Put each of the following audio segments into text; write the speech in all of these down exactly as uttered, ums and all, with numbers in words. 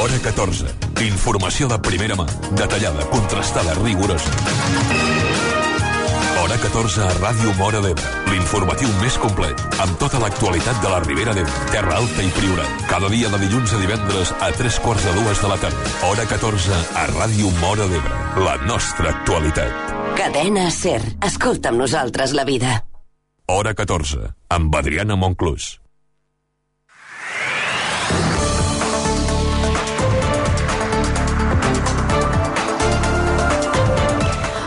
Hora catorze. Informació de primera mà, detallada, contrastada, rigorosa. Hora catorze a Ràdio Móra d'Ebre. L'informatiu més complet, amb tota l'actualitat de la Ribera d'Ebre, Terra Alta i Priorat. Cada dia de dilluns a divendres a tres quarts de dues de la tarda. Hora catorze a Ràdio Móra d'Ebre. La nostra actualitat. Cadena SER. Escolta amb nosaltres la vida. Hora catorze, amb Adriana Monclús.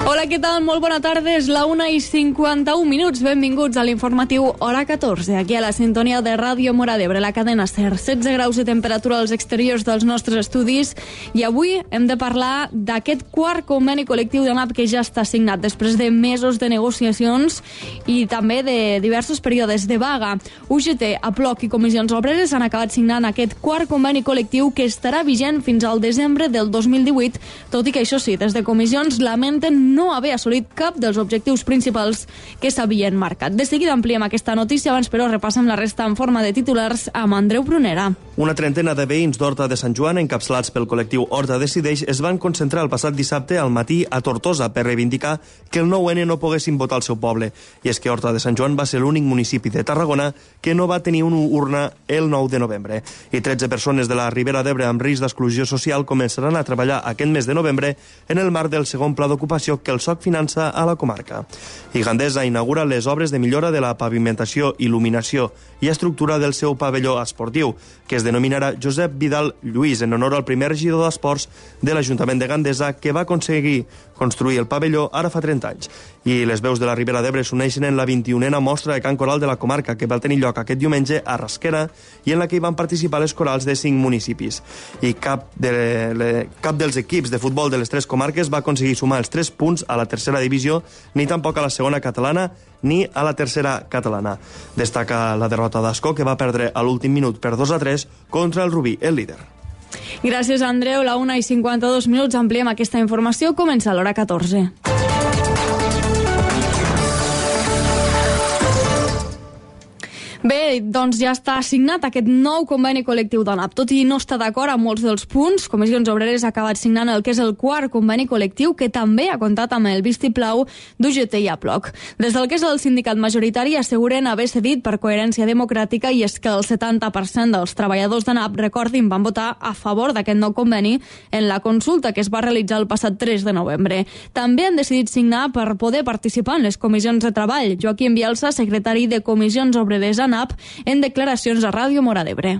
Hola, què tal? Molt bona tarda, és la una i cinquanta-un minuts. Benvinguts a l'informatiu Hora catorze, aquí a la sintonia de Ràdio Móra d'Ebre, la cadena SER. setze graus de temperatura als exteriors dels nostres estudis i avui hem de parlar d'aquest quart conveni col·lectiu d'ANAP que ja està signat després de mesos de negociacions i també de diversos períodes de vaga. U G T, APLOC i Comissions Obreres han acabat signant aquest quart conveni col·lectiu que estarà vigent fins al desembre del dos mil divuit, tot i que això sí, des de Comissions lamenten no haver assolit cap dels objectius principals que s'havien marcat. De seguida ampliem aquesta notícia, abans però repassem la resta en forma de titulars amb Andreu Prunera. Una trentena de veïns d'Horta de Sant Joan, encapçalats pel col·lectiu Horta Decideix, es van concentrar el passat dissabte al matí a Tortosa per reivindicar que el nou ene no poguessin votar al seu poble. I és que Horta de Sant Joan va ser l'únic municipi de Tarragona que no va tenir una urna el nou de novembre. I tretze persones de la Ribera d'Ebre amb risc d'exclusió social començaran a treballar aquest mes de novembre en el marc del segon pla d'ocupació que el S O C finança a la comarca. I Gandesa inaugura les obres de millora de la pavimentació, il·luminació i estructura del seu pavelló esportiu, que es denominarà Josep Vidal Lluís, en honor al primer regidor d'Esports de l'Ajuntament de Gandesa, que va aconseguir construir el pavelló ara fa trenta anys. I les veus de la Ribera d'Ebre s'uneixen en la vint-i-unena mostra de cant coral de la comarca, que va tenir lloc aquest diumenge a Rasquera i en la que hi van participar les corals de cinc municipis. I cap, de, le, cap dels equips de futbol de les tres comarques va aconseguir sumar els tres punts a la tercera divisió, ni tampoc a la segona catalana ni a la tercera catalana. Destaca la derrota d'Ascó, que va perdre a l'últim minut per dos a tres contra el Rubí, el líder. Gràcies, Andreu. La una i cinquanta-dos minuts ampliem aquesta informació. Comença l'hora catorze. Bé, doncs ja està assignat aquest nou conveni col·lectiu d'ANAP. Tot i no estar d'acord amb molts dels punts, Comissions Obreres ha acabat signant el que és el quart conveni col·lectiu, que també ha comptat amb el vistiplau d'U G T i APLOC. Des del que és el sindicat majoritari asseguren haver cedit per coherència democràtica, i és que el setanta per cent dels treballadors d'ANAP, recordin, van votar a favor d'aquest nou conveni en la consulta que es va realitzar el passat tres de novembre. També han decidit signar per poder participar en les comissions de treball. Joaquim Bielsa, secretari de Comissions Obreres ANAP, en declaracions a Ràdio Móra d'Ebre.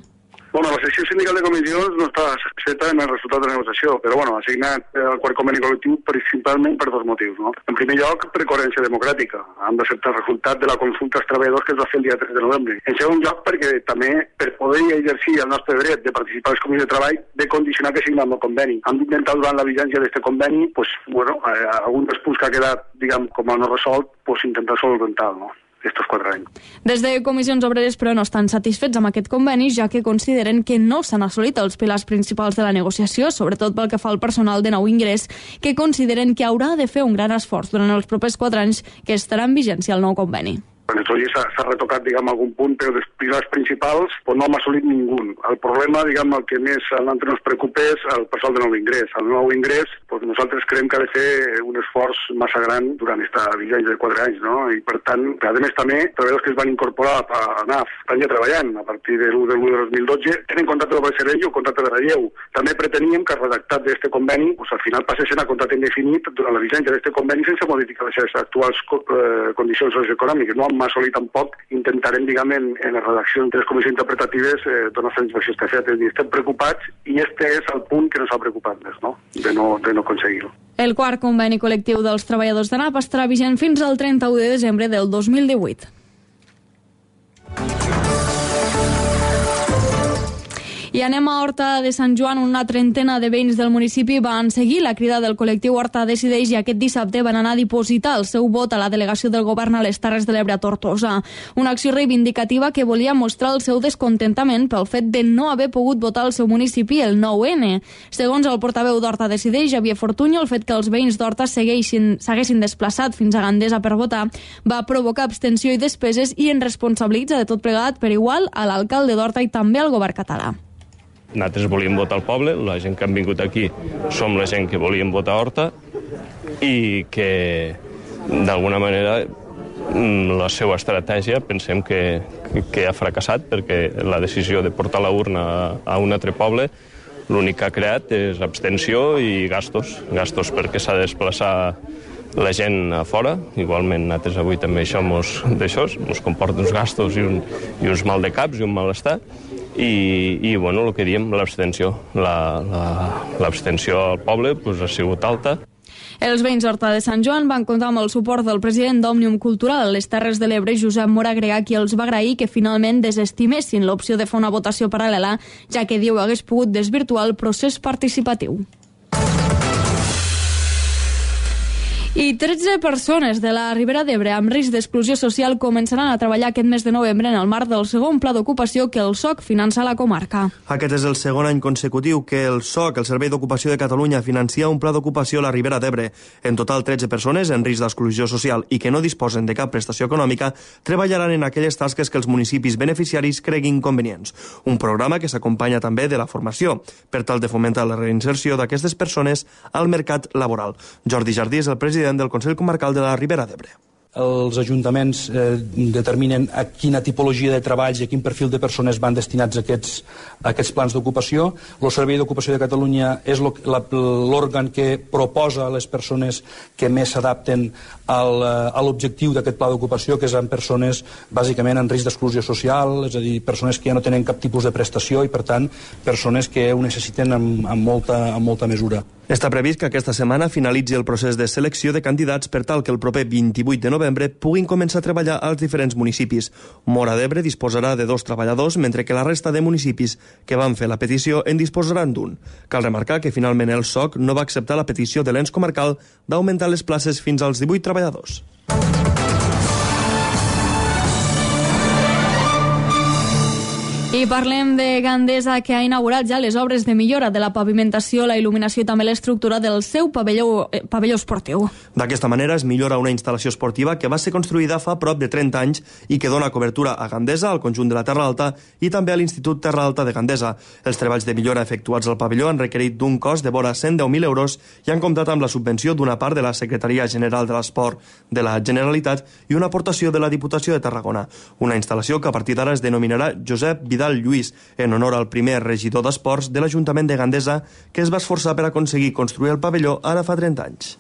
Bueno, la secció sindical de comissions no està satisfeta en el resultat de la negociació, però bueno, ha signat el quart conveni col·lectiu principalment per dos motius, no? En primer lloc, per coherència democràtica. Han d'acceptar el resultat de la consulta als treballadors que es va fer el dia tres de novembre. En segon lloc, perquè també per poder exercir el nostre dret de participar a les comissions de treball, de condicionar que signem el conveni. Hem d'intentar durant la vigència d'aquest conveni, pues, bueno, eh, algun dels punts que ha quedat, diguem, com a no resolt, pues, intentar solventar, no? estos quatre anys. Des de Comissions Obreres, però, no estan satisfets amb aquest conveni, ja que consideren que no s'han assolit els pilars principals de la negociació, sobretot pel que fa al personal de nou ingrés, que consideren que haurà de fer un gran esforç durant els propers quatre anys que estarà en vigència el nou conveni. En el s'ha retocat, diguem, algun punt, però dels pilars principals pues, no hem assolit ningú. El problema, diguem, el que més a l'altre ens preocupa és el personal de nou ingrés. El nou ingrés, pues, nosaltres creiem que ha de fer un esforç massa gran durant aquesta vigència de quatre anys, no? I, per tant, a més també, treballadors que es van incorporar a ANAF estan ja treballant a partir de l'u de l'u de dos mil dotze, tenen contracte de servei o contracte de relleu. També preteníem que el redactat d'aquest conveni, pues, al final passessin a contracte indefinit durant la vigència d'aquest conveni sense modificar les seves actuals eh, condicions socioeconòmiques. No hem assolit tampoc, intentarem, diguem, en, en la redacció de les comissions interpretatives eh, donar satisfacció a aquest. Estem preocupats i este és el punt que ens ha preocupat més, no? De no, de no aconseguir-ho. El quart conveni col·lectiu dels treballadors d'ANAP estarà vigent fins al trenta-u de desembre del dos mil divuit. I anem a Horta de Sant Joan. Una trentena de veïns del municipi van seguir la crida del col·lectiu Horta Decideix i aquest dissabte van anar a dipositar el seu vot a la delegació del govern a les Terres de l'Ebre a Tortosa. Una acció reivindicativa que volia mostrar el seu descontentament pel fet de no haver pogut votar al seu municipi el nou ene. Segons el portaveu d'Horta Decideix, Javier Fortuño, el fet que els veïns d'Horta s'haguessin desplaçat fins a Gandesa per votar va provocar abstenció i despeses i en responsabilitza de tot plegat per igual a l'alcalde d'Horta i també al govern català. Nosaltres volíem votar al poble, la gent que han vingut aquí som la gent que volíem votar a Horta i que, d'alguna manera, la seva estratègia pensem que, que ha fracassat perquè la decisió de portar la urna a un altre poble l'únic que ha creat és abstenció i gastos. Gastos perquè s'ha de desplaçar la gent a fora. Igualment, nosaltres avui també això mos, d'això, mos comporta uns gastos i, un, i uns mal de caps i un malestar. I, i bueno, el que diem, l'abstenció. La, la, l'abstenció al poble pues, ha sigut alta. Els veïns d'Horta de Sant Joan van comptar amb el suport del president d'Òmnium Cultural a les Terres de l'Ebre, Josep Mora Greà, qui els va agrair que finalment desestimessin l'opció de fer una votació paral·lela, ja que diu hagués pogut desvirtuar el procés participatiu. I tretze persones de la Ribera d'Ebre amb risc d'exclusió social començaran a treballar aquest mes de novembre en el marc del segon pla d'ocupació que el S O C finança a la comarca. Aquest és el segon any consecutiu que el S O C, el Servei d'Ocupació de Catalunya, financia un pla d'ocupació a la Ribera d'Ebre. En total, tretze persones en risc d'exclusió social i que no disposen de cap prestació econòmica treballaran en aquelles tasques que els municipis beneficiaris creguin convenients. Un programa que s'acompanya també de la formació, per tal de fomentar la reinserció d'aquestes persones al mercat laboral. Jordi Jardí és el president del Consell Comarcal de la Ribera d'Ebre. Els ajuntaments eh, determinen a quina tipologia de treballs i a quin perfil de persones van destinats a aquests, a aquests plans d'ocupació. El Servei d'Ocupació de Catalunya és l'òrgan que proposa a les persones que més s'adapten al, a l'objectiu d'aquest pla d'ocupació, que són persones bàsicament en risc d'exclusió social, és a dir, persones que ja no tenen cap tipus de prestació i, per tant, persones que ho necessiten amb, amb, molta, amb molta mesura. Està previst que aquesta setmana finalitzi el procés de selecció de candidats per tal que el proper vint-i-vuit de novembre puguin començar a treballar als diferents municipis. Móra d'Ebre disposarà de dos treballadors, mentre que la resta de municipis que van fer la petició en disposaran d'un. Cal remarcar que finalment el S O C no va acceptar la petició de l'ens comarcal d'augmentar les places fins als divuit treballadors. I parlem de Gandesa, que ha inaugurat ja les obres de millora de la pavimentació, la il·luminació i també l'estructura del seu pavelló, eh, pavelló esportiu. D'aquesta manera es millora una instal·lació esportiva que va ser construïda fa prop de trenta anys i que dona cobertura a Gandesa, al conjunt de la Terra Alta i també a l'Institut Terra Alta de Gandesa. Els treballs de millora efectuats al pavelló han requerit d'un cost de vora cent deu mil euros i han comptat amb la subvenció d'una part de la Secretaria General de l'Esport de la Generalitat i una aportació de la Diputació de Tarragona. Una instal·lació que a partir d'ara es denominarà Josep Vidal Lluís, en honor al primer regidor d'Esports de l'Ajuntament de Gandesa, que es va esforçar per aconseguir construir el pavelló ara fa trenta anys.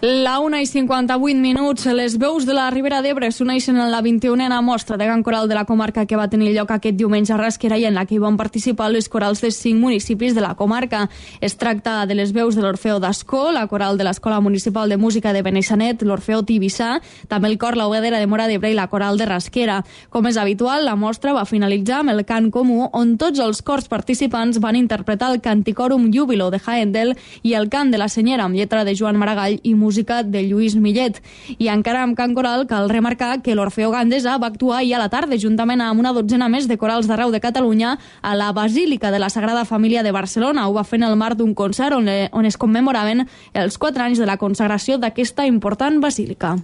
La una i cinquanta-vuit minuts, les veus de la Ribera d'Ebre s'uneixen en la vint-i-unena mostra de cant coral de la comarca que va tenir lloc aquest diumenge a Rasquera i en la que hi van participar les corals de cinc municipis de la comarca. Es tracta de les veus de l'Orfeo d'Ascó, la coral de l'Escola Municipal de Música de Benissanet, l'Orfeo Tibissà, també el cor La Hoguedera de Móra d'Ebre i la coral de Rasquera. Com és habitual, la mostra va finalitzar amb el cant comú, on tots els cors participants van interpretar el Canticorum Júbilo de Haendel i el cant de la Senyera amb lletra de Joan Maragall i música de Lluís Millet. I encara amb cant coral cal remarcar que l'Orfeo Gandesa va actuar ahir a la tarda juntament amb una dotzena més de corals d'arreu de Catalunya a la Basílica de la Sagrada Família de Barcelona. Ho va fer en el marc d'un concert on, on es commemoraven els quatre anys de la consagració d'aquesta important basílica.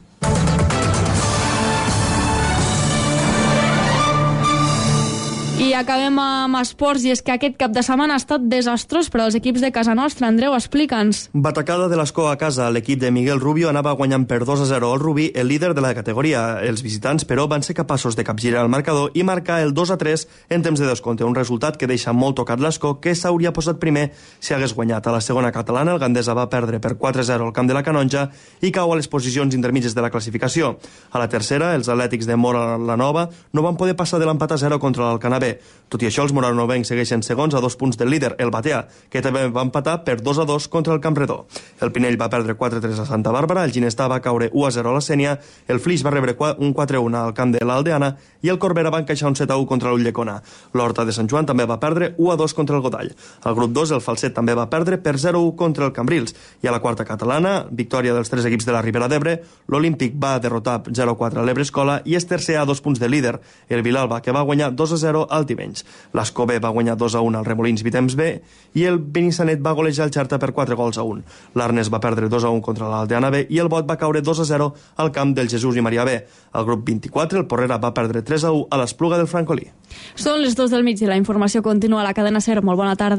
I acabem amb esports, i és que aquest cap de setmana ha estat desastrós per als equips de casa nostra. Andreu, explica'ns. Batacada de l'Escó a casa. L'equip de Miguel Rubio anava guanyant per dos a zero al Rubí, el líder de la categoria. Els visitants, però, van ser capaços de capgirar el marcador i marcar el dos a tres en temps de descompte, un resultat que deixa molt tocat l'Escó, que s'hauria posat primer si hagués guanyat. A la segona catalana, el Gandesa va perdre per quatre a zero al camp de la Canonja i cau a les posicions intermitges de la classificació. A la tercera, els atlètics de Móra la Nova no van poder passar de l'empat a zero contra l'Alcanavé. Tot i això, els moranovencs segueixen segons a dos punts del líder, el Batea, que també va empatar per dos a dos contra el Campredó. El Pinell va perdre quatre a tres a Santa Bàrbara, el Ginestà va caure u a zero a la Sénia, el Flix va rebre un quatre a un al camp de l'Aldeana i el Corbera va encaixar un set a u contra l'Ulldecona. L'Horta de Sant Joan també va perdre u a dos contra el Godall. Al grup dos, el Falset també va perdre per zero a u contra el Cambrils. I a la quarta catalana, victòria dels tres equips de la Ribera d'Ebre, l'Olímpic va derrotar zero a quatre a l'Ebre Escola i és tercer a dos punts de líder. El Vilalba, que va guanyar dos a zero al Tibet. Olivenys. L'Escobé va guanyar dos a un al Remolins Vitems B i el Benissanet va golejar el Xerta per quatre gols a un. L'Arnes va perdre dos a un contra l'Aldeana B i el Bot va caure dos a zero al camp del Jesús i Maria B. Al grup vint-i-quatre, el Porrera va perdre tres a u a l'Espluga del Francolí. Són les dues del migdia. La informació continua a la cadena SER. Molt bona tarda.